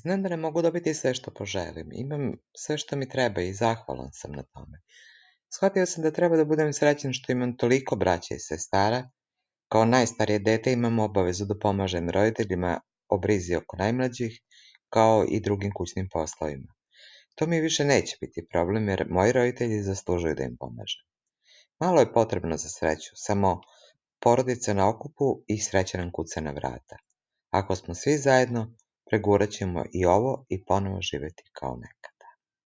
Znam da ne mogu dobiti sve što poželim. Imam sve što mi treba i zahvalan sam na tome. Shvatio sam da treba da budem srećan što imam toliko braće i sestara. Kao najstarije dete imam obavezu da pomažem roditeljima o brizi oko najmlađih, kao i drugim kućnim poslovima. To mi više neće biti problem jer moji roditelji zaslužuju da im pomažem. Malo je potrebno za sreću, samo porodica na okupu i sreća nam kuca na vrata. Ako smo svi zajedno, pregurat ćemo i ovo i ponovo živeti kao nekad.